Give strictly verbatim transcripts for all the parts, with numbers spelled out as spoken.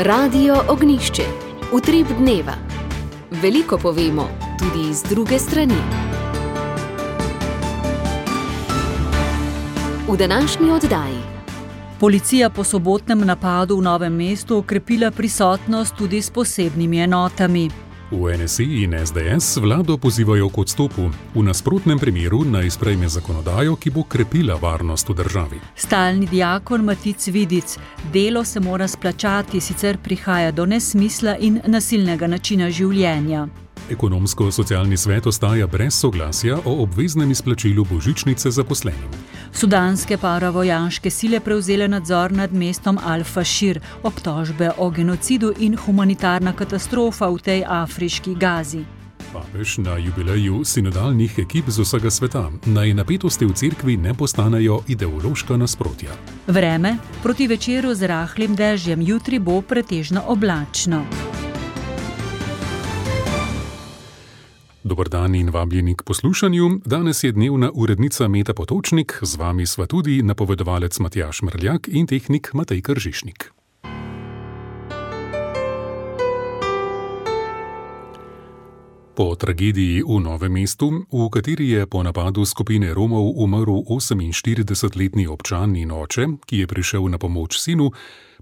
Radio Ognjišče. Utrip dneva. Veliko povemo, tudi iz druge strani. V današnji oddaji. Policija po sobotnem napadu v Novem mestu okrepila prisotnost tudi s posebnimi enotami. V N S I in S D S vlado pozivajo k odstopu, v nasprotnem primeru naj sprejme zakonodajo, ki bo krepila varnost v državi. Stalni diakon Matic Vidic: delo se mora splačati, sicer prihaja do nesmisla in nasilnega načina življenja. Ekonomsko-socialni svet ostaja brez soglasja o obveznem izplačilu božičnice zaposlenim. Sudanske paravojaške sile prevzele nadzor nad mestom Al-Fašir, obtožbe o genocidu in humanitarna katastrofa v tej afriški Gazi. Papež na jubileju sinodalnih ekip z vsega sveta, naj napetosti v cerkvi ne postanejo ideološka nasprotja. Vreme: proti večeru z rahlim dežjem, jutri bo pretežno oblačno. Dober dan in vabljeni k poslušanju. Danes je dnevna urednica Meta Potočnik, z vami sva tudi napovedovalec Matjaž Mrljak in tehnik Matej Kržišnik. Po tragediji v Novem mestu, v kateri je po napadu skupine Romov umrl oseminštiridesetletni občan in oče, ki je prišel na pomoč sinu,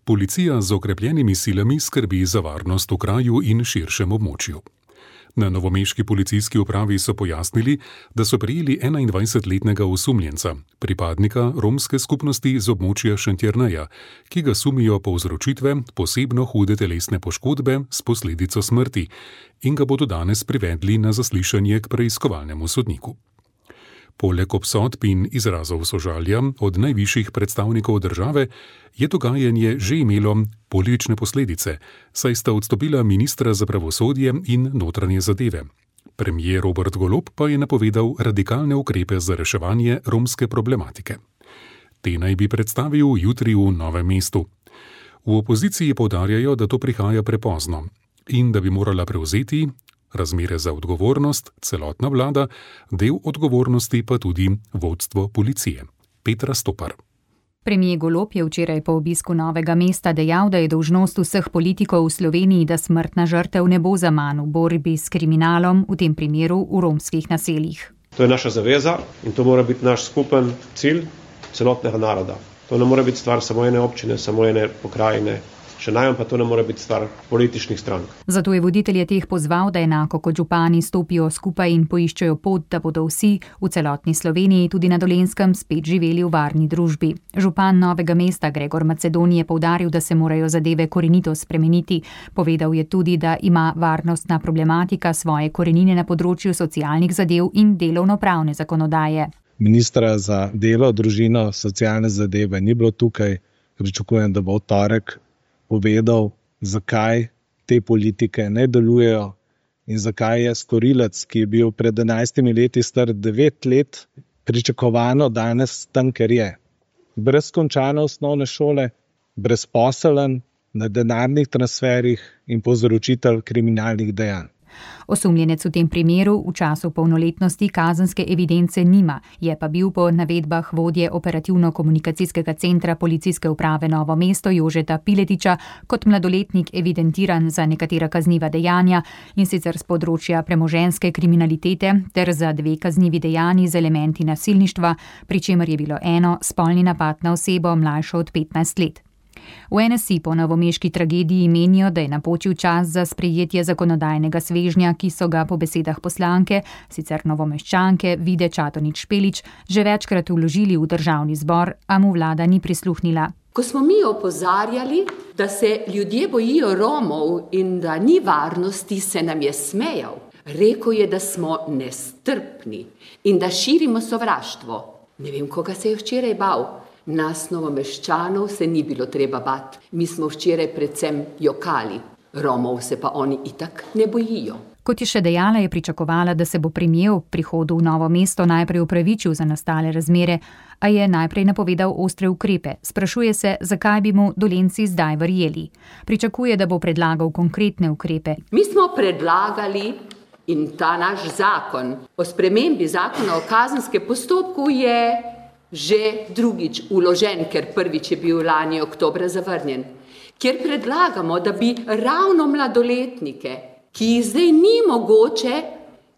policija z okrepljenimi silami skrbi za varnost v kraju in širšem območju. Na novomeški policijski upravi so pojasnili, da so prijeli enaindvajsetletnega osumljenca, pripadnika romske skupnosti z območja Šentjerneja, ki ga sumijo povzročitve posebno hude telesne poškodbe s posledico smrti in ga bodo danes privedli na zaslišanje k preiskovalnemu sodniku. Poleg obsodb in izrazov sožalja od najvišjih predstavnikov države je dogajanje že imelo politične posledice, saj sta odstopila ministra za pravosodje in notranje zadeve. Premier Robert Golob pa je napovedal radikalne ukrepe za reševanje romske problematike. Te naj bi predstavil jutri v Novem mestu. V opoziciji poudarjajo, da to prihaja prepozno in da bi morala prevzeti razmere za odgovornost celotna vlada, del odgovornosti pa tudi vodstvo policije. Petra Stopar. Premier Golob je včeraj po obisku Novega mesta dejal, da je dolžnost vseh politikov v Sloveniji, da smrtna žrtev ne bo zaman v borbi s kriminalom, v tem primeru v romskih naseljih. To je naša zaveza in to mora biti naš skupen cilj celotnega naroda. To ne mora biti stvar samo ene občine, samo ene pokrajine, še najmanj pa to ne mora biti stvar političnih strank. Zato je voditelje teh pozval, da enako kot župani stopijo skupaj in poiščejo pot, da bodo vsi v celotni Sloveniji, tudi na Dolenjskem, spet živeli v varni družbi. Župan Novega mesta Gregor Macedoni je poudaril, da se morajo zadeve korenito spremeniti. Povedal je tudi, da ima varnostna problematika svoje korenine na področju socialnih zadev in delovnopravne zakonodaje. Ministra za delo, družino, socialne zadeve ni bilo tukaj. Pričakujem, da bo v torek povedal, zakaj te politike ne delujejo in zakaj je storilec, ki je bil pred enajstimi leti star devet let, pričakovano danes tam, ker je. Brez končane osnovne šole, brezposeln, na denarnih transferih in povzročitelj kriminalnih dejanj. Osumljenec v tem primeru v času polnoletnosti kazenske evidence nima, je pa bil po navedbah vodje operativno-komunikacijskega centra policijske uprave Novo mesto Jožeta Piletiča kot mladoletnik evidentiran za nekatera kazniva dejanja, in sicer z področja premoženjske kriminalitete ter za dve kaznivi dejanji z elementi nasilništva, pri čemer je bilo eno spolni napad na osebo mlajšo od petnajst let. V N S I po novomeški tragediji menijo, da je napočil čas za sprejetje zakonodajnega svežnja, ki so ga po besedah poslanke, sicer novomeščanke Vide Čadonič Špelič, že večkrat vložili v državni zbor, a mu vlada ni prisluhnila. Ko smo mi opozarjali, da se ljudje bojijo Romov in da ni varnosti, se nam je smejal. Rekel je, da smo nestrpni in da širimo sovraštvo. Ne vem, koga se je včeraj bal. Nas novomeščanov se ni bilo treba bati. Mi smo včeraj predvsem jokali. Romov se pa oni itak ne bojijo. Kot je še dejala, je pričakovala, da se bo premier ob prihodu v Novo mesto najprej opravičil za nastale razmere, a je najprej napovedal ostre ukrepe. Sprašuje se, zakaj bi mu Dolenjci zdaj verjeli. Pričakuje, da bo predlagal konkretne ukrepe. Mi smo predlagali in ta naš zakon o spremembi zakona o kazenskem postopku je že drugič vložen, ker prvič je bil lani oktobra zavrnjen. kjer predlagamo, da bi ravno mladoletnike, ki jih zdaj ni mogoče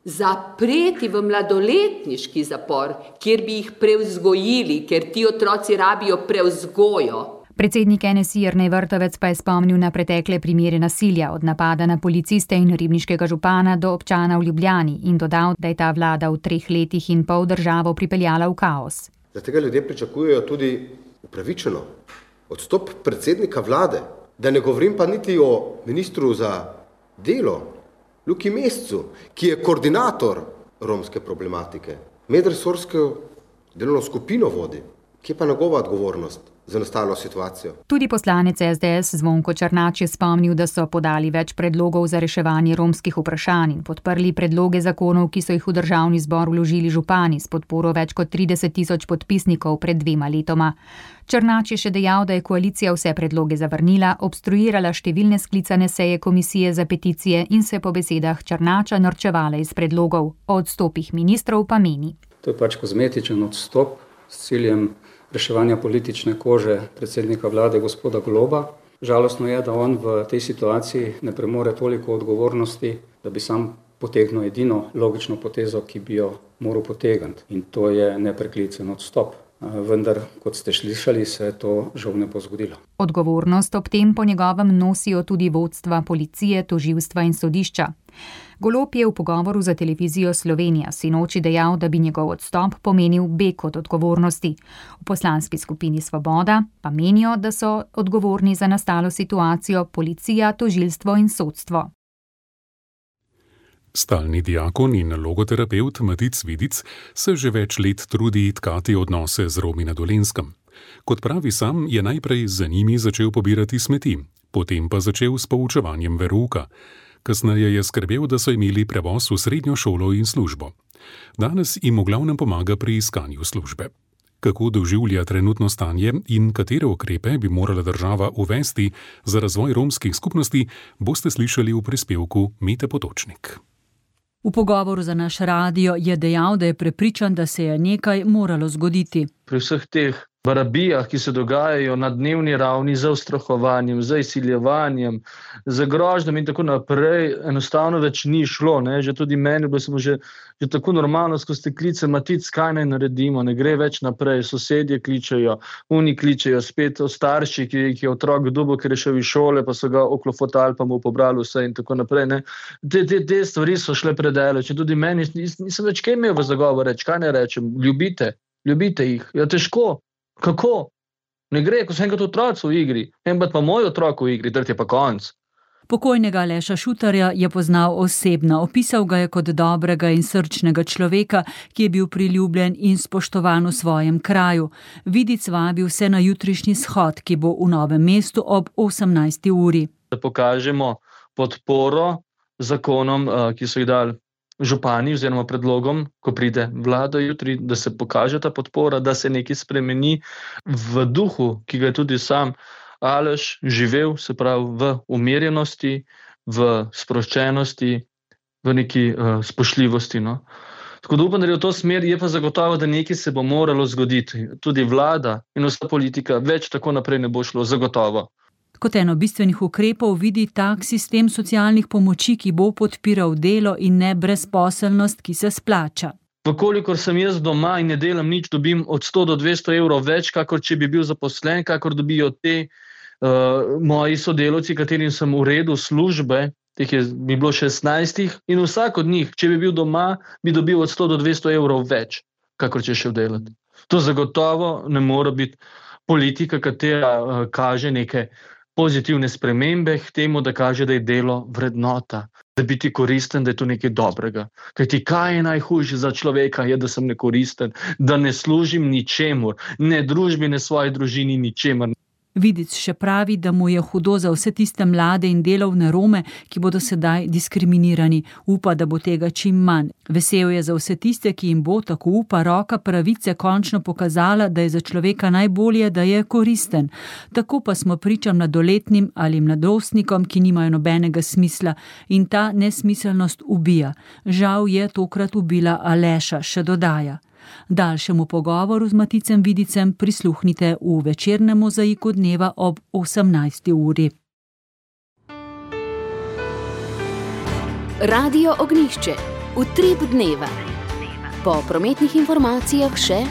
zapreti v mladoletniški zapor, kjer bi jih prevzgojili, ker ti otroci rabijo prevzgojo. Predsednik N S I Jernej Vrtovec pa je spomnil na pretekle primere nasilja, od napada na policiste in ribniškega župana do občana v Ljubljani, in dodal, da je ta vlada v treh letih in pol državo pripeljala v kaos. Zaradi tega ljudje pričakujejo tudi upravičeno odstop predsednika vlade, da ne govorim pa niti o ministru za delo, Luki Mescu, ki je koordinator romske problematike, medresorsko delovno skupino vodi, ki je pa njegova odgovornost za nastalo situacijo. Tudi poslanec S D S Zvonko Černač je spomnil, da so podali več predlogov za reševanje romskih vprašanj in podprli predloge zakonov, ki so jih v državni zbor vložili župani s podporo več kot trideset tisoč podpisnikov pred dvema letoma. Černač je še dejal, da je koalicija vse predloge zavrnila, obstruirala številne sklicane seje komisije za peticije in se po besedah Černača norčevala iz predlogov. O odstopih ministrov pa meni. To je pač kozmetičen odstop s ciljem reševanja politične kože predsednika vlade gospoda Goloba. Žalostno je, da on v tej situaciji ne premore toliko odgovornosti, da bi sam potegnil edino logično potezo, ki bi jo moral potegniti. In to je nepreklicen odstop. Vendar, kot ste slišali, se to žal ne bo zgodilo. Odgovornost ob tem po njegovem nosijo tudi vodstva policije, tožilstva in sodišča. Golob je v pogovoru za televizijo Slovenija sinoči dejal, da bi njegov odstop pomenil beg od odgovornosti. V poslanski skupini Svoboda pa menijo, da so odgovorni za nastalo situacijo policija, tožilstvo in sodstvo. Stalni diakon in logoterapeut Matic Vidic se že več let trudi tkati odnose z Romi na Dolenjskem. Kot pravi sam, je najprej za njimi začel pobirati smeti, potem pa začel s poučevanjem verouka. Kasneje je skrbel, da so imeli prevoz v srednjo šolo in službo. Danes jim v glavnem pomaga pri iskanju službe. Kako doživlja trenutno stanje in katere ukrepe bi morala država uvesti za razvoj romskih skupnosti, boste slišali v prispevku Mete Potočnik. V pogovoru za naš radio je dejal, da je prepričan, da se je nekaj moralo zgoditi. Pri vseh teh barabijah, ki se dogajajo na dnevni ravni z ustrahovanjem, z izsiljevanjem, z grožnjami in tako naprej, enostavno več ni šlo. Ne? Že tudi meni bilo smo že, že tako normalno skozi te klice, Matic, kaj naj naredimo, ne gre več naprej, sosedje kličejo, oni kličejo, spet starši, ki, ki je otrok dubo, ker je šel iz šole, pa so ga oklofotali, pa mu pobrali vse in tako naprej. Ne? Te, te, te stvari so šle predaleč in tudi meni nisem več kaj imel v zagovor reči, kaj ne rečem, ljubite, ljubite jih, ja težko. Kako? Ne gre, ko so enkrat otroci v igri, enkrat pa moj otrok v igri, tret je pa konc. Pokojnega Aleša Šutarja je poznal osebno, opisal ga je kot dobrega in srčnega človeka, ki je bil priljubljen in spoštovan v svojem kraju. Vidic vabi vse na jutrišnji shod, ki bo v Novem mestu ob osemnajsti uri. Da pokažemo podporo zakonom, ki so jih dali župani oziroma predlogom, ko pride vlada jutri, da se pokaže ta podpora, da se nekaj spremeni v duhu, ki ga je tudi sam Aleš živel, se pravi v umirjenosti, v sproščenosti, v neki uh, spoštljivosti. No. Tako da upam, da je v to smer, je pa zagotovo, da nekaj se bo moralo zgoditi. Tudi vlada in vsa politika, več tako naprej ne bo šlo, zagotovo. Kot eno bistvenih ukrepov vidi tak sistem socialnih pomoči, ki bo podpiral delo in ne brezposelnost, ki se splača. Vkolikor sem jaz doma in ne delam nič, dobim od sto do dvesto evrov več, kakor če bi bil zaposlen, kakor dobijo te uh, moji sodelavci, katerim sem uredil službe, teh je bi bilo šestnajstih in vsak od njih, če bi bil doma, bi dobil od sto do dvesto evrov več, kakor če šel delati. To zagotovo ne more biti politika, katera uh, kaže neke pozitivne spremembe k temu, da kaže, da je delo vrednota, da biti koristen, da je to nekaj dobrega. Kajti kaj je najhujše za človeka, je, da sem nekoristen, da ne služim ničemur, ne družbi, ne svoji družini, ničemur. Vidic še pravi, da mu je hudo za vse tiste mlade in delovne Rome, ki bodo sedaj diskriminirani. Upa, da bo tega čim manj. Vesel je za vse tiste, ki jim bo, tako upa, roka pravice končno pokazala, da je za človeka najbolje, da je koristen. Tako pa smo priča mladoletnim ali mladostnikom, ki nimajo nobenega smisla in ta nesmiselnost ubija. Žal je tokrat ubila Aleša, še dodaja. Daljšemu pogovoru z Maticem Vidicem prisluhnite v večernem mozaiku dneva ob osemnajsti uri. Radio Ognjišče. Utrip dneva. Po prometnih informacijah še: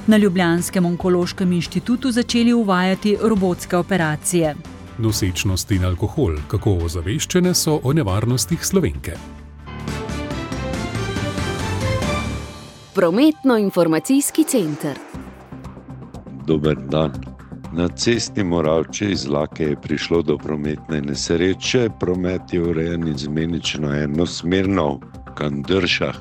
na Ljubljanskem onkološkem inštitutu začeli uvajati robotske operacije. Nosečnost in alkohol, kako ozaveščene so o nevarnostih Slovenke. Prometno-informacijski center. Dober dan. Na cesti Moravče iz Lake je prišlo do prometne nesreče. Promet je urejen izmenično enosmerno v Kandršah.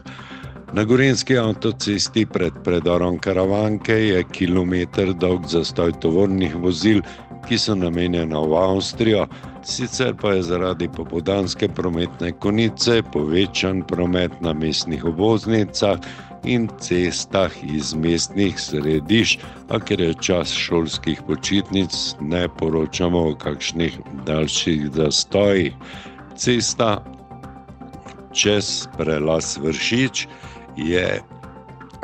Na gorenjski avtocesti pred predorom Karavanke je kilometer dolg zastoj tovornih vozil, ki so namenjena v Avstrijo. Sicer pa je zaradi popoldanske prometne konice povečan promet na mestnih obvoznicah in cestah iz mestnih središč, a ker je čas šolskih počitnic, ne poročamo o kakšnih daljših zastojih. Cesta čez prelaz Vršič je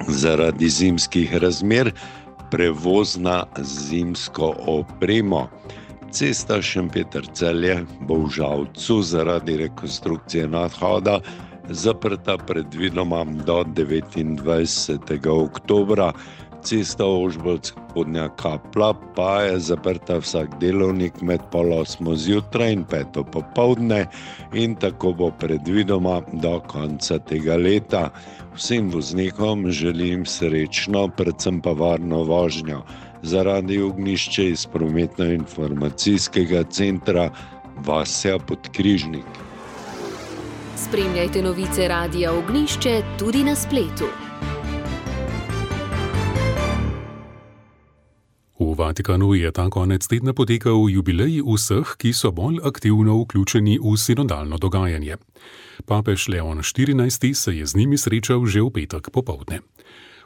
zaradi zimskih razmer prevozna zimsko opremo. Cesta Šempeter-Celje bo v Žalcu zaradi rekonstrukcije nadhoda zaprta predvidoma do devetindvajsetega oktobra. Cesta Ožbolt-Spodnja Kapla pa je zaprta vsak delovnik med pol osmo zjutraj in peto popoldne in tako bo predvidoma do konca tega leta. Vsem voznikom želim srečno, predvsem pa varno vožnjo. Zaradi Ognjišče iz prometno-informacijskega centra Vasja Podkrižnik. Spremljajte novice Radia Ognjišče tudi na spletu. V Vatikanu je ta konec tedna potekal jubilej vseh, ki so bolj aktivno vključeni v sinodalno dogajanje. Papež Leon štirinajsti se je z njimi srečal že v petek popoldne.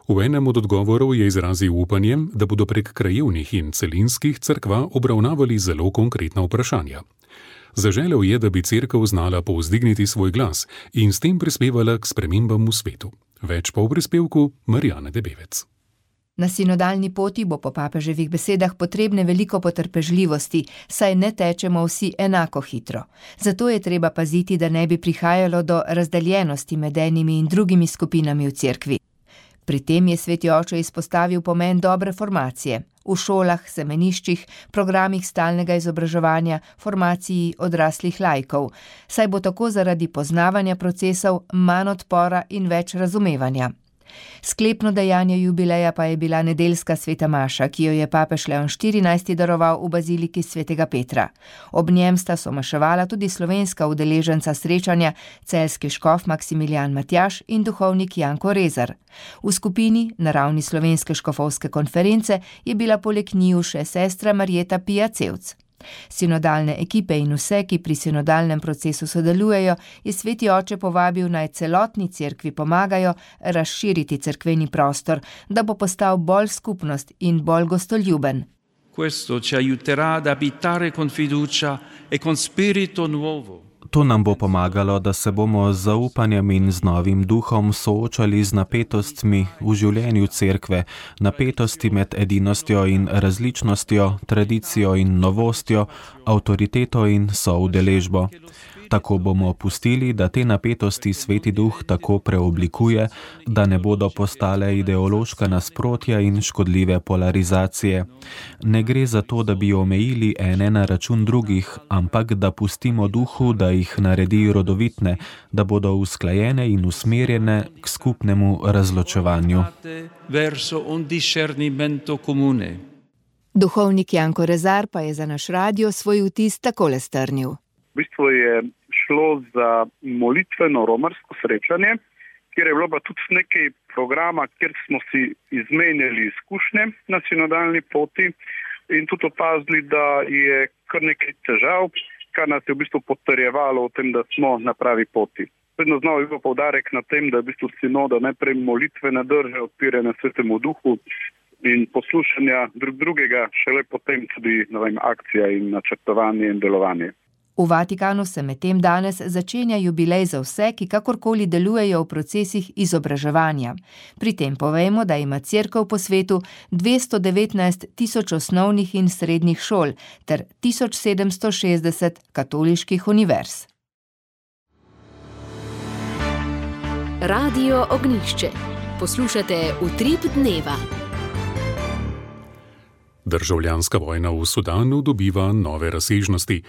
V enem od odgovorov je izrazil upanje, da bodo prek krajevnih in celinskih cerkva obravnavali zelo konkretna vprašanja. Zaželel je, da bi cerkev znala povzdigniti svoj glas in s tem prispevala k spremembam v svetu. Več pa v prispevku Marijane Debevec. Na sinodalni poti bo po papeževih besedah potrebne veliko potrpežljivosti, saj ne tečemo vsi enako hitro. Zato je treba paziti, da ne bi prihajalo do razdeljenosti med enimi in drugimi skupinami v cerkvi. Pri tem je sveti oče izpostavil pomen dobre formacije v šolah, semeniščih, programih stalnega izobraževanja, formaciji odraslih laikov, saj bo tako zaradi poznavanja procesov manj odpora in več razumevanja. Sklepno dejanje jubileja pa je bila nedeljska sveta maša, ki jo je papež Leon štirinajsti daroval v baziliki svetega Petra. Ob njem sta somaševala tudi slovenska udeleženca srečanja, celjski škof Maksimilijan Matjaž in duhovnik Janko Rezar. V skupini na ravni slovenske škofovske konference je bila poleg njiju še sestra Marjeta Pija Cevc. Sinodalne ekipe in vse, ki pri sinodalnem procesu sodelujejo, je sveti oče povabil naj celotni cerkvi pomagajo razširiti cerkveni prostor, da bo postal bolj skupnost in bolj gostoljuben. Questo ci aiuterà ad abitare con fiducia e con spirito nuovo. To nam bo pomagalo, da se bomo z zaupanjem in z novim duhom soočali z napetostmi v življenju cerkve, napetosti med edinostjo in različnostjo, tradicijo in novostjo, avtoriteto in soudeležbo. Tako bomo pustili, da te napetosti sveti duh tako preoblikuje, da ne bodo postale ideološka nasprotja in škodljive polarizacije. Ne gre za to, da bi omejili ene na račun drugih, ampak da pustimo duhu, da jih naredi rodovitne, da bodo usklajene in usmerjene k skupnemu razločevanju. Duhovnik Janko Rezar pa je za naš radio svoj vtis takole strnil. V bistvu je šlo za molitveno romarsko srečanje, kjer je bilo pa tudi nekaj programa, kjer smo si izmenjali izkušnje na sinodalni poti in tudi opazili, da je kar nekaj težav, kar nas je v bistvu potrjevalo v tem, da smo na pravi poti. Vedno znova je bil poudarek na tem, da je v bistvu sinoda najprej molitvena drža, odpiranja svetemu duhu in poslušanja drug drugega, šele potem tudi, ne vem, akcija in načrtovanje in delovanje. V Vatikanu se medtem danes začenja jubilej za vse, ki kakorkoli delujejo v procesih izobraževanja. Pri tem povejmo, da ima Cerkev po svetu dvesto devetnajst tisoč osnovnih in srednjih šol ter tisoč sedemsto šestdeset katoliških univerz. Radio Ognjišče. Poslušate Utrip dneva. Državljanska vojna v Sudanu dobiva nove razsežnosti.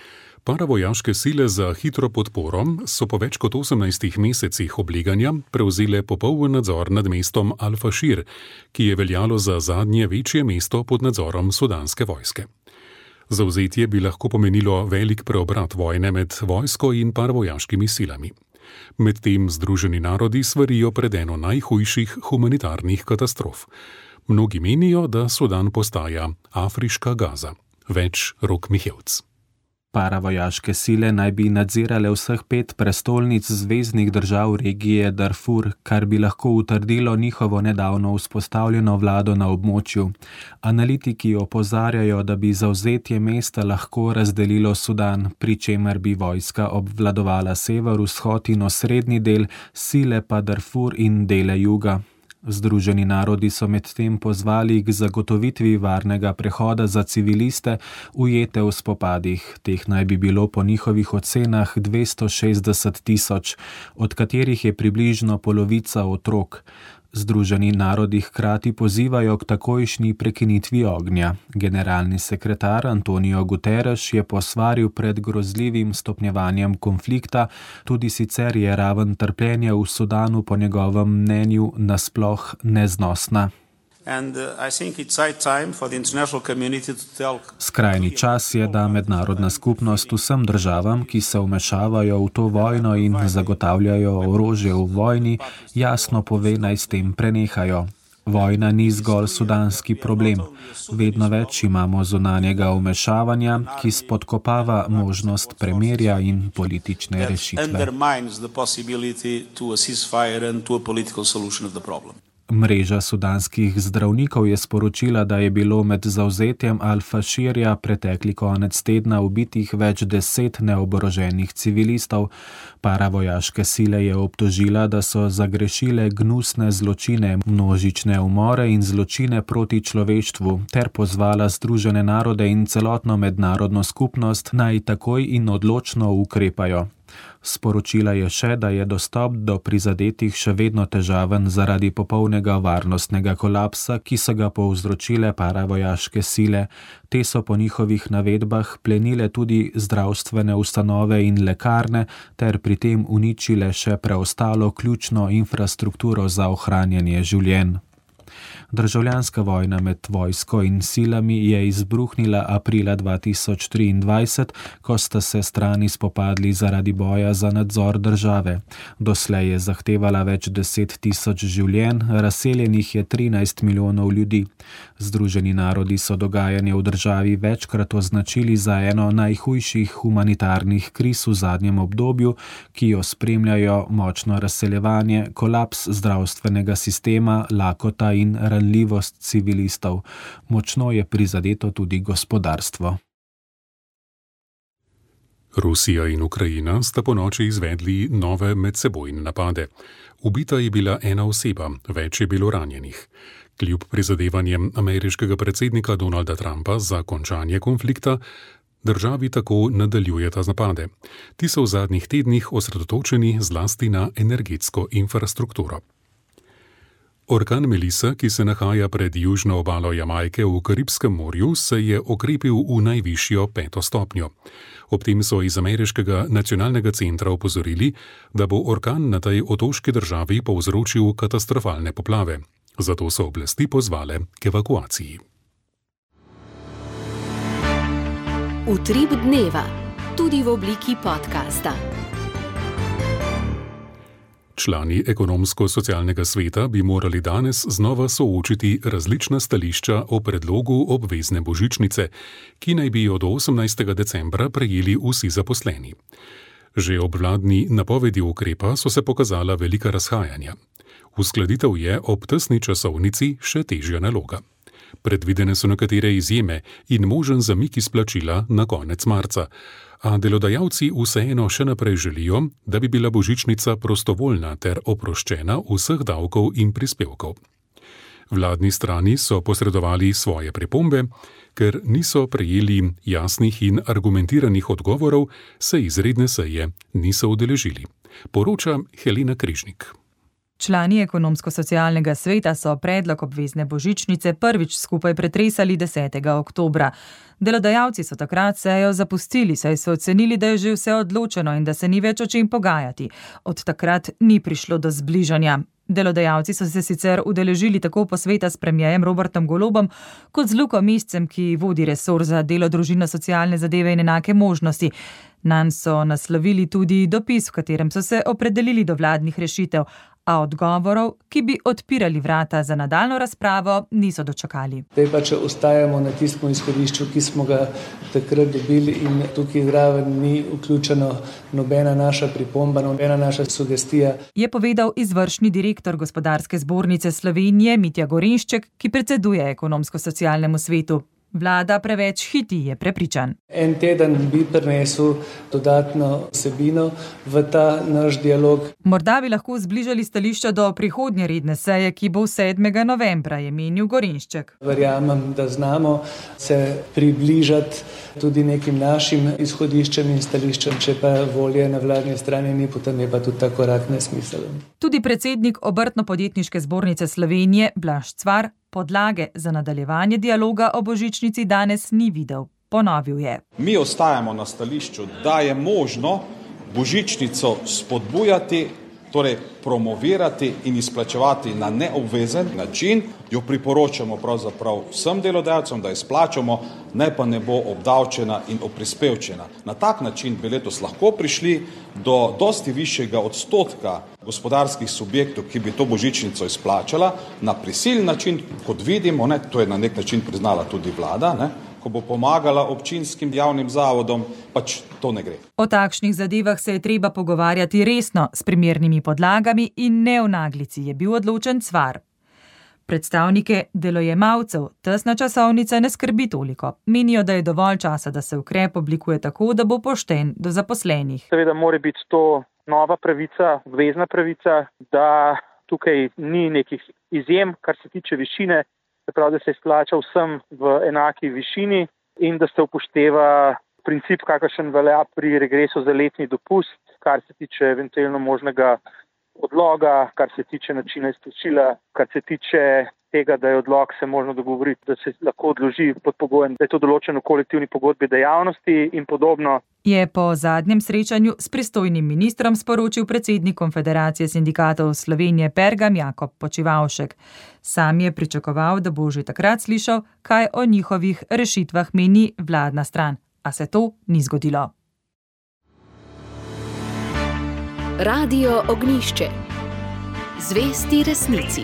Paravojaške sile za hitro podporo so po več kot osemnajstih mesecih obleganja prevzele popoln nadzor nad mestom Al-Fashir, ki je veljalo za zadnje večje mesto pod nadzorom sudanske vojske. Zavzetje bi lahko pomenilo velik preobrat vojne med vojsko in paravojaškimi silami. Medtem Združeni narodi svarijo pred eno najhujših humanitarnih katastrof. Mnogi menijo, da Sudan postaja afriška Gaza. Več Rok Mihevc. Paravojaške sile naj bi nadzirale vseh pet prestolnic zveznih držav regije Darfur, kar bi lahko utrdilo njihovo nedavno vzpostavljeno vlado na območju. Analitiki opozarjajo, da bi zavzetje mesta lahko razdelilo Sudan, pri čemer bi vojska obvladovala sever, vzhod in osrednji del, sile pa Darfur in dele juga. Združeni narodi so medtem pozvali k zagotovitvi varnega prehoda za civiliste, ujete v spopadih. Teh naj bi bilo po njihovih ocenah dvesto šestdeset tisoč, od katerih je približno polovica otrok. Združeni narodi hkrati pozivajo k takojšnji prekinitvi ognja. Generalni sekretar Antonio Guterres je posvaril pred grozljivim stopnjevanjem konflikta, tudi sicer je raven trpljenja v Sudanu po njegovem mnenju nasploh neznosna. Skrajni čas je, da mednarodna skupnost vsem državam, ki se vmešavajo v to vojno in zagotavljajo orožje v vojni, jasno pove, naj s tem prenehajo. Vojna ni zgolj sudanski problem. Vedno več imamo zunanjega vmešavanja, ki spodkopava možnost premirja in politične rešitve. Mreža sudanskih zdravnikov je sporočila, da je bilo med zavzetjem Al-Fashirja pretekli konec tedna ubitih več deset neoboroženih civilistov. Paravojaške sile je obtožila, da so zagrešile gnusne zločine, množične umore in zločine proti človeštvu, ter pozvala Združene narode in celotno mednarodno skupnost, naj takoj in odločno ukrepajo. Sporočila je še, da je dostop do prizadetih še vedno težaven zaradi popolnega varnostnega kolapsa, ki so ga povzročile paravojaške sile. Te so po njihovih navedbah plenile tudi zdravstvene ustanove in lekarne ter pri tem uničile še preostalo ključno infrastrukturo za ohranjanje življenj. Državljanska vojna med vojsko in silami je izbruhnila aprila dva tisoč triindvajset, ko sta se strani spopadli zaradi boja za nadzor države. Doslej je zahtevala več deset tisoč življenj, razseljenih je trinajst milijonov ljudi. Združeni narodi so dogajanje v državi večkrat označili za eno najhujših humanitarnih kriz v zadnjem obdobju, ki jo spremljajo močno razseljevanje, kolaps zdravstvenega sistema, lakota in ranljivost civilistov. Močno je prizadeto tudi gospodarstvo. Rusija in Ukrajina sta ponoči izvedli nove medsebojne napade. Ubita je bila ena oseba, več je bilo ranjenih. Kljub prizadevanjem ameriškega predsednika Donalda Trumpa za končanje konflikta, državi tako nadaljujeta napade. Ti so v zadnjih tednih osredotočeni zlasti na energetsko infrastrukturo. Orkan Melissa, ki se nahaja pred južno obalo Jamajke v Karibskem morju, se je okrepil v najvišjo peto stopnjo. Ob tem so iz ameriškega nacionalnega centra opozorili, da bo orkan na tej otoški državi povzročil katastrofalne poplave. Zato so oblasti pozvale k evakuaciji. Utrip dneva, tudi v obliki podcasta. Člani ekonomsko-socialnega sveta bi morali danes znova soočiti različna stališča o predlogu obvezne božičnice, ki naj bi jo do osemnajstega decembra prejeli vsi zaposleni. Že ob vladni napovedi ukrepa so se pokazala velika razhajanja. Uskladitev je ob tesni časovnici še težja naloga. Predvidene so nekatere izjeme in možen zamik izplačila na konec marca. A delodajalci vseeno še naprej želijo, da bi bila božičnica prostovoljna ter oproščena vseh davkov in prispevkov. Vladni strani so posredovali svoje pripombe, ker niso prejeli jasnih in argumentiranih odgovorov, se izredne seje niso udeležili. Poroča Helena Križnik. Člani ekonomsko-socialnega sveta so predlog obvezne božičnice prvič skupaj pretresali desetega oktobra. Delodajalci so takrat sejo zapustili, saj so ocenili, da je že vse odločeno in da se ni več o čem pogajati. Od takrat ni prišlo do zbližanja. Delodajalci so se sicer udeležili tako posveta s premierjem Robertom Golobom, kot z Luko Mescem, ki vodi resor za delo, družino, socialne zadeve in enake možnosti. Nanj so naslovili tudi dopis, v katerem so se opredelili do vladnih rešitev, a odgovorov, ki bi odpirali vrata za nadaljno razpravo, niso dočakali. Zdaj pa, če ostajamo na tistem izhodišču, ki smo ga takrat dobili in tukaj zraven ni vključeno nobena naša pripomba, nobena naša sugestija. Je povedal izvršni direktor Gospodarske zbornice Slovenije Mitja Gorenšček, ki predseduje ekonomsko-socialnemu svetu. Vlada preveč hiti, je prepričan. En teden bi prinesel dodatno vsebino v ta naš dialog. Morda bi lahko zbližali stališča do prihodnje redne seje, ki bo sedmega novembra, je menil Gorenšček. Verjamem, da znamo se približati tudi nekim našim izhodiščem in stališčem, če pa volje na vladni strani ni, potem je pa tudi ta korak nesmiseln. Tudi predsednik Obrtno-podjetniške zbornice Slovenije Blaž Cvar podlage za nadaljevanje dialoga o božičnici danes ni videl. Ponovil je. Mi ostajamo na stališču, da je možno božičnico spodbujati, torej promovirati in izplačevati na neobvezen način. Jo priporočamo pravzaprav vsem delodajalcem, da izplačamo, ne pa ne bo obdavčena in oprispevčena. Na tak način bi letos lahko prišli do dosti višjega odstotka gospodarskih subjektov, ki bi to božičnico izplačala na prisilni način, kot vidimo, ne, to je na nek način priznala tudi vlada, ne, ko bo pomagala občinskim javnim zavodom, pač to ne gre. O takšnih zadevah se je treba pogovarjati resno, s primernimi podlagami in ne v naglici, je bil odločen Cvar. Predstavnike delojemalcev tesna časovnica ne skrbi toliko. Menijo, da je dovolj časa, da se ukrep oblikuje tako, da bo pošten do zaposlenih. Seveda mora biti to nova pravica, obvezna pravica, da tukaj ni nekih izjem, kar se tiče višine, se pravi, da se izplača vsem v enaki višini in da se upošteva princip, kakršen velja pri regresu za letni dopust, kar se tiče eventualno možnega odloga, kar se tiče načina izplačila, kar se tiče tega, da je odlog se možno dogovoriti, da se lahko odloži pod pogojem, da je to določeno v kolektivni pogodbi dejavnosti in podobno. Je po zadnjem srečanju s pristojnim ministrom sporočil predsednik Konfederacije sindikatov Slovenije Pergam Jakob Počivavšek. Sam je pričakoval, da bo že takrat slišal, kaj o njihovih rešitvah meni vladna stran, a se to ni zgodilo. Radio Ognjišče. Zvesti resnici.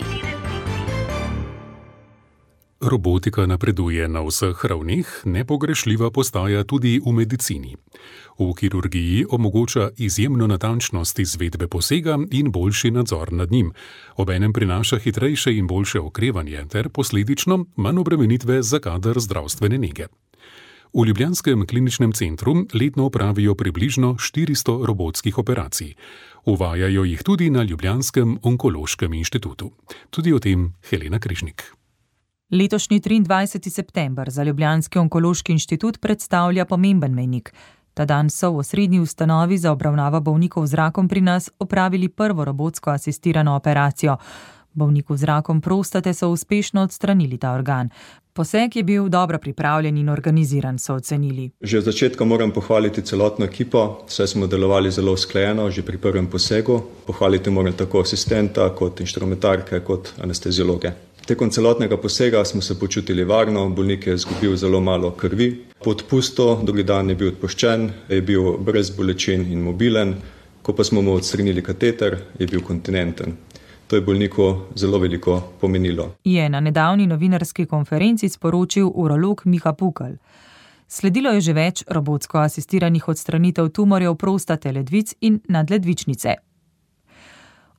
Robotika napreduje na vseh ravneh, nepogrešljiva postaja tudi v medicini. V kirurgiji omogoča izjemno natančnost izvedbe posega in boljši nadzor nad njim. Obenem prinaša hitrejše in boljše okrevanje ter posledično manj obremenitve za kader zdravstvene nege. V ljubljanskem kliničnem centru letno opravijo približno štiristo robotskih operacij. Uvajajo jih tudi na Ljubljanskem onkološkem inštitutu. Tudi o tem Helena Križnik. Letošnji triindvajseti september za Ljubljanski onkološki inštitut predstavlja pomemben mejnik. Ta dan so v osrednji ustanovi za obravnavo bolnikov z rakom pri nas opravili prvo robotsko asistirano operacijo. Bolniku z rakom prostate so uspešno odstranili ta organ. Poseg je bil dobro pripravljen in organiziran, so ocenili. Že od začetka moram pohvaliti celotno ekipo, saj smo delovali zelo usklajeno že pri prvem posegu. Pohvaliti moram tako asistenta, kot inštrumentarke, kot anesteziologe. Tekom celotnega posega smo se počutili varno, bolnik je izgubil zelo malo krvi. Po odpustu, drugi dan je bil odpuščen, je bil brez bolečin in mobilen. Ko pa smo mu odstranili kateter, je bil kontinenten. To je bolniku zelo veliko pomenilo. Je na nedavni novinarski konferenci sporočil urolog Miha Pukl. Sledilo je že več robotsko asistiranih odstranitev tumorjev prostate, ledvic in nadledvičnice.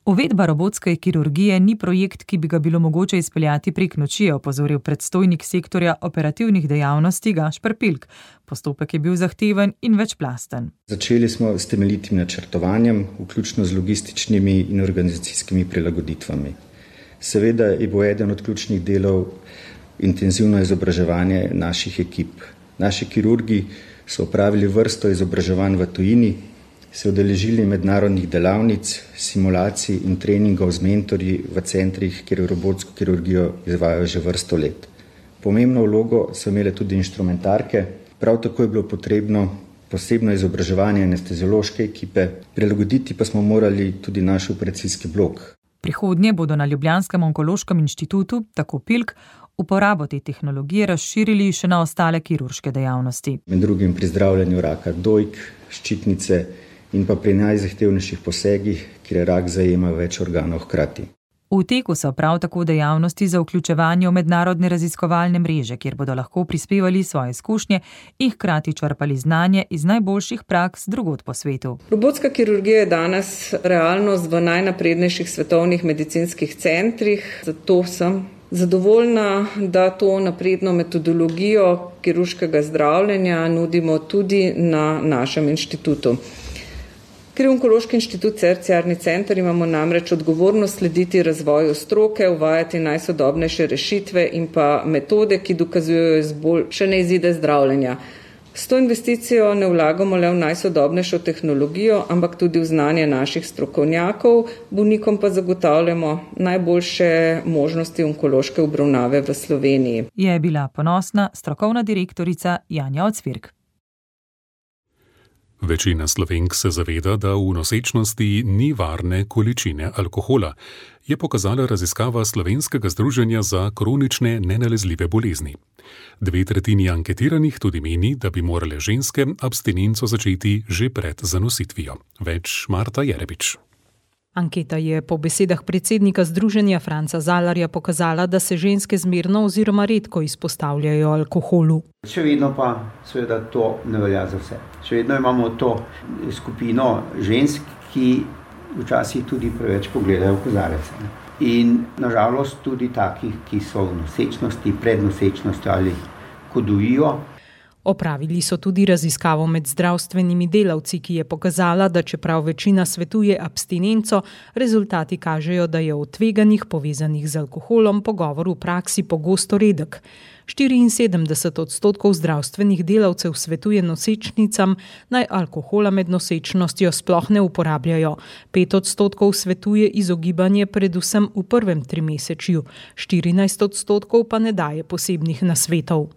Uvedba robotske kirurgije ni projekt, ki bi ga bilo mogoče izpeljati prek noči, je opozoril predstojnik sektorja operativnih dejavnosti Gašper Pilk. Postopek je bil zahteven in večplasten. Začeli smo s temeljitim načrtovanjem, vključno z logističnimi in organizacijskimi prilagoditvami. Seveda je bo eden od ključnih delov intenzivno izobraževanje naših ekip. Naši kirurgi so opravili vrsto izobraževanj v tujini, se udeležili mednarodnih delavnic, simulacij in treningov z mentorji v centrih, kjer robotsko kirurgijo izvajajo že vrsto let. Pomembno vlogo so imele tudi inštrumentarke, prav tako je bilo potrebno posebno izobraževanje anesteziološke ekipe, prilagoditi pa smo morali tudi naš operacijski blok. Prihodnje bodo na Ljubljanskem onkološkem inštitutu, tako Pilk, uporabo te tehnologije razširili še na ostale kirurške dejavnosti. Med drugim pri zdravljenju raka dojk, ščitnice in pa pri najzahtevnejših posegih, kjer rak zajema več organov hkrati. V teku so prav tako dejavnosti za vključevanje v mednarodne raziskovalne mreže, kjer bodo lahko prispevali svoje izkušnje in hkrati črpali znanje iz najboljših praks drugod po svetu. Robotska kirurgija je danes realnost v najnaprednejših svetovnih medicinskih centrih, zato sem zadovoljna, da to napredno metodologijo kirurškega zdravljenja nudimo tudi na našem inštitutu. Ker je Onkološki inštitut terciarni center, imamo namreč odgovornost slediti razvoju stroke, uvajati najsodobnejše rešitve in pa metode, ki dokazujejo izboljšane izide zdravljenja. S to investicijo ne vlagamo le v najsodobnejšo tehnologijo, ampak tudi v znanje naših strokovnjakov, bolnikom pa zagotavljamo najboljše možnosti onkološke obravnave v Sloveniji. Je bila ponosna strokovna direktorica Janja Ocvirk. Večina Slovenk se zaveda, da v nosečnosti ni varne količine alkohola, je pokazala raziskava Slovenskega združenja za kronične nenalezljive bolezni. Dve tretjini anketiranih tudi meni, da bi morale ženske abstinenco začeti že pred zanositvijo. Več Marta Jerebič. Anketa je po besedah predsednika združenja Franca Zalarja pokazala, da se ženske zmerno oziroma redko izpostavljajo alkoholu. Še vedno pa seveda to ne velja za vse. Še vedno imamo to skupino žensk, ki včasih tudi preveč pogledajo v kozarec. In nažalost tudi takih, ki so v nosečnosti, pred nosečnostjo ali ko dojijo. Opravili so tudi raziskavo med zdravstvenimi delavci, ki je pokazala, da čeprav večina svetuje abstinenco, rezultati kažejo, da je o tveganjih povezanih z alkoholom pogovor v praksi pogosto redek. štiriinsedemdeset odstotkov zdravstvenih delavcev svetuje nosečnicam, naj alkohola med nosečnostjo sploh ne uporabljajo. Pet odstotkov svetuje izogibanje predvsem v prvem trimesečju, štirinajst odstotkov pa ne daje posebnih nasvetov.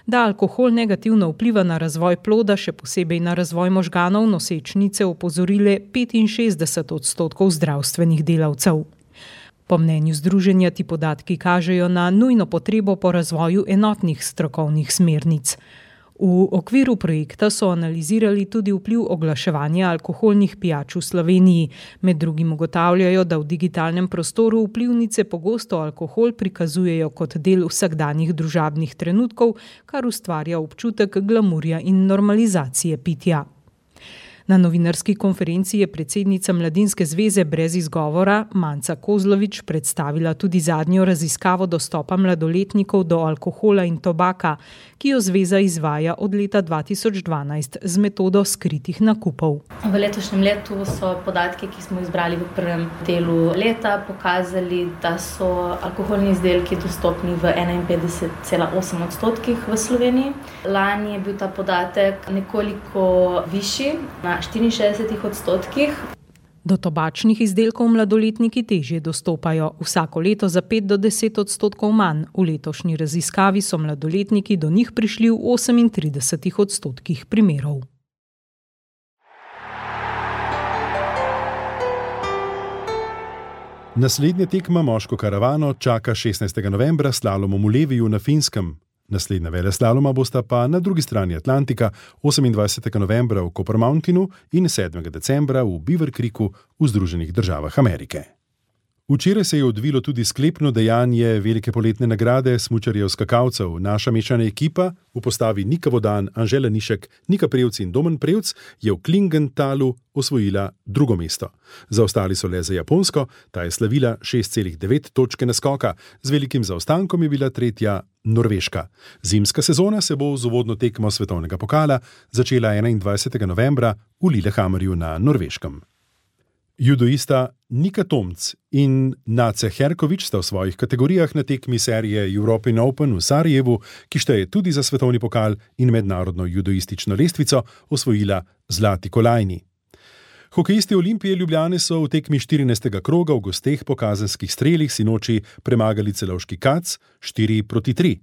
Da alkohol negativno vpliva na razvoj ploda, še posebej na razvoj možganov, nosečnice opozorile petinšestdeset odstotkov zdravstvenih delavcev. Po mnenju združenja ti podatki kažejo na nujno potrebo po razvoju enotnih strokovnih smernic. V okviru projekta so analizirali tudi vpliv oglaševanja alkoholnih pijač v Sloveniji. Med drugim ugotavljajo, da v digitalnem prostoru vplivnice pogosto alkohol prikazujejo kot del vsakdanjih družabnih trenutkov, kar ustvarja občutek glamurja in normalizacije pitja. Na novinarski konferenci je predsednica Mladinske zveze Brez izgovora Manca Kozlovič predstavila tudi zadnjo raziskavo dostopa mladoletnikov do alkohola in tobaka, ki jo zveza izvaja od leta dva tisoč dvanajst z metodo skritih nakupov. V letošnjem letu so podatki, ki smo izbrali v prvem delu leta, pokazali, da so alkoholni izdelki dostopni v enainpetdeset cela osem odstotkih v Sloveniji. Lani je bil ta podatek nekoliko višji, na štiriinšestdeset odstotkih. Do tobačnih izdelkov mladoletniki težje dostopajo, vsako leto za pet do deset odstotkov manj. V letošnji raziskavi so mladoletniki do njih prišli v osemintrideset odstotkih primerov. Naslednja tekma moško karavano čaka šestnajstega novembra s slalomom v Leviju na Finskem. Naslednja veleslaloma bosta pa na drugi strani Atlantika osemindvajsetega novembra v Copper Mountainu in sedmega decembra v Beaver Creeku v Združenih državah Amerike. Včeraj se je odvilo tudi sklepno dejanje velike poletne nagrade smučarjev skakalcev. Naša mešana ekipa v postavi Nika Vodan, Anžela Nišek, Nika Prevc in Domen Prevc je v Klingentalu osvojila drugo mesto. Zaostali so le za Japonsko, ta je slavila šest celih devet točke naskoka, z velikim zaostankom je bila tretja Norveška. Zimska sezona se bo z uvodno tekmo svetovnega pokala začela enaindvajsetega novembra v Lillehammerju na Norveškem. Judoista Nika Tomc in Nace Herkovič sta v svojih kategorijah na tekmi serije European Open v Sarajevu, ki šteje tudi za svetovni pokal in mednarodno judoistično lestvico, osvojila zlati kolajni. Hokejisti Olimpije Ljubljane so v tekmi štirinajstega kroga v gosteh po kazenskih strelih sinoči premagali celovški Kac štiri proti tri.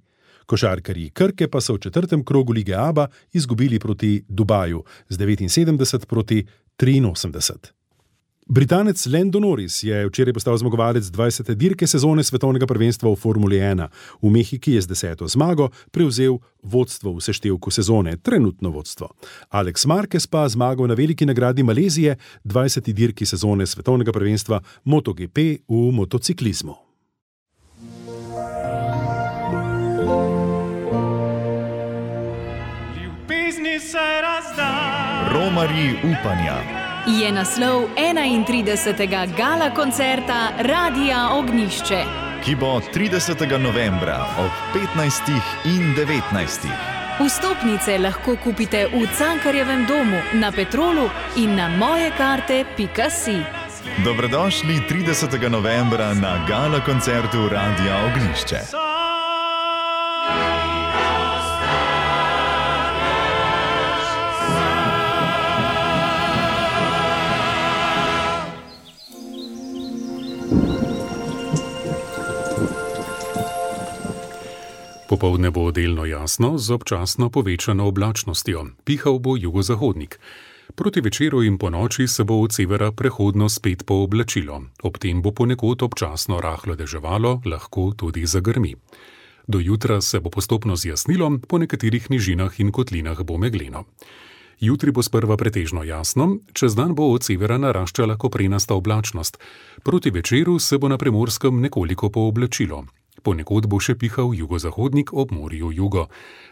Košarkarji Krke pa so v četrtem krogu lige ABA izgubili proti Dubaju z devetinsedemdeset proti triinosemdeset. Britanec Lando Norris je včeraj postal zmagovalec dvajsete dirke sezone svetovnega prvenstva v Formuli ena. V Mehiki je z deseto zmago prevzel vodstvo v seštevku sezone, trenutno vodstvo. Alex Marquez pa zmagal na veliki nagradi Malezije, dvajseti dirki sezone svetovnega prvenstva MotoGP v motociklizmu. Ljubezni se razda. Romarji upanja. Je naslov enaintridesetega gala koncerta Radia Ognjišče, ki bo tridesetega novembra ob petnajstih in devetnajstih. Vstopnice lahko kupite v Cankarjevem domu, na Petrolu in na mojekarte pika si. Dobrodošli tridesetega novembra na gala koncertu Radia Ognjišče. Popoldne bo delno jasno z občasno povečano oblačnostjo. Pihal bo jugozahodnik. Proti večeru in ponoči se bo od severa prehodno spet pooblačilo. Ob tem bo ponekod občasno rahlo deževalo, lahko tudi zagrmi. Do jutra se bo postopno zjasnilo, po nekaterih nižinah in kotlinah bo megleno. Jutri bo sprva pretežno jasno, čez dan bo od severa naraščala koprenasta oblačnost. Proti večeru se bo na Primorskem nekoliko pooblačilo. Ponekod bo še pihal jugozahodnik ob morju jugo.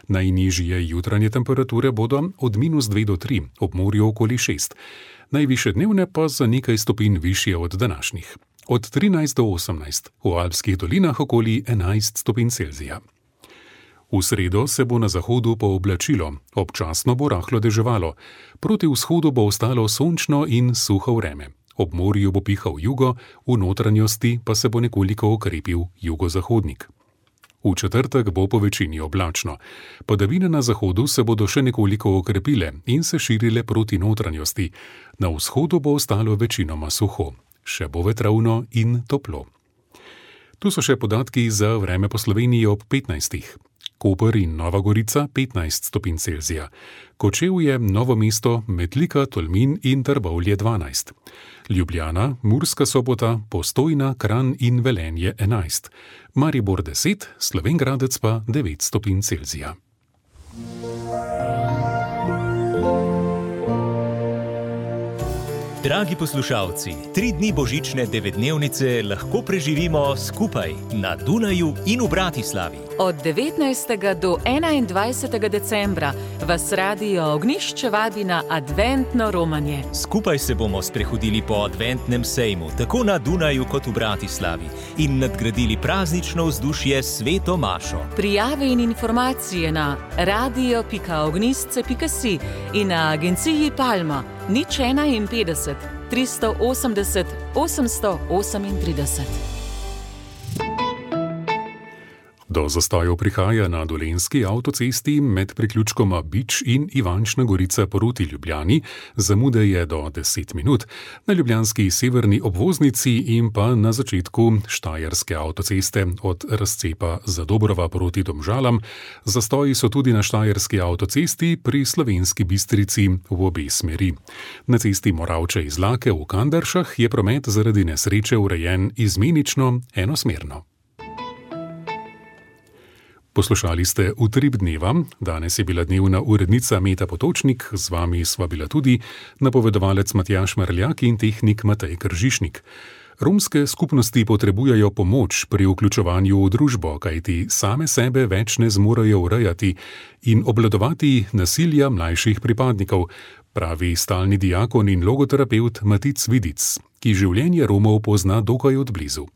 Najnižje jutranje temperature bodo od minus dve do tri, ob morju okoli šest. Najvišje dnevne pa za nekaj stopinj višje od današnjih. Od trinajst do osemnajst, v alpskih dolinah okoli enajst stopinj Celzija. V sredo se bo na zahodu pooblačilo, občasno bo rahlo deževalo. Proti vzhodu bo ostalo sončno in suho vreme. Ob morju bo pihal jugo, v notranjosti pa se bo nekoliko okrepil jugozahodnik. V četrtek bo po večini oblačno. Padavine na zahodu se bodo še nekoliko okrepile in se širile proti notranjosti. Na vzhodu bo ostalo večinoma suho. Še bo vetrovno in toplo. Tu so še podatki za vreme po Sloveniji ob petnajstih. Koper in Nova Gorica petnajst stopinj Celzija. Kočevje, Novo mesto, Metlika, Tolmin in Trbovlje dvanajst. Ljubljana, Murska Sobota, Postojna, Kranj in Velenje enajst. Maribor deset, Slovenj Gradec pa devet stopinj Celzija. Dragi poslušalci, tri dni božične devetdnevnice lahko preživimo skupaj na Dunaju in v Bratislavi. Od devetnajstega do enaindvajsetega decembra vas Radio Ognjišče vabi na adventno romanje. Skupaj se bomo sprehodili po adventnem sejmu, tako na Dunaju kot v Bratislavi, in nadgradili praznično vzdušje s sveto mašo. Prijave in informacije na radio pika ognjišče pika si in na agenciji Palma nič enainpetdeset, tristo osemdeset, osemsto osemintrideset. Do zastojev prihaja na Dolenjski avtocesti med priključkoma Bič in Ivančna Gorica proti Ljubljani, zamude je do deset minut, na ljubljanski severni obvoznici in pa na začetku Štajerske avtoceste od razcepa Zadobrova proti Domžalam. Zastoji so tudi na Štajerski avtocesti pri Slovenski Bistrici v obe smeri. Na cesti Moravče-Izlake v Kanderšah je promet zaradi nesreče urejen izmenično enosmerno. Poslušali ste Utrip dneva, danes je bila dnevna urednica Meta Potočnik, z vami sva bila tudi napovedovalec Matjaž Marljak in tehnik Matej Kržišnik. Romske skupnosti potrebujejo pomoč pri vključevanju v družbo, kajti same sebe več ne zmorejo urejati in obvladovati nasilja mlajših pripadnikov, pravi stalni diakon in logoterapeut Matic Vidic, ki življenje Romov pozna dokaj odblizu.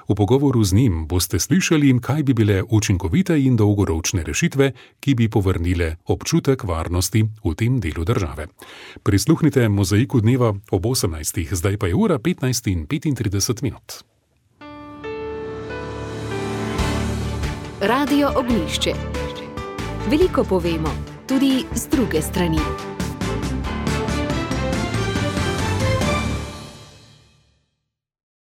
V pogovoru z njim boste slišali, kaj bi bile učinkovite in dolgoročne rešitve, ki bi povrnile občutek varnosti v tem delu države. Prisluhnite Mozaiku dneva ob osemnajstih, zdaj pa je ura petnajst in petintrideset minut. Radio Ognjišče. Veliko povemo, tudi z druge strani.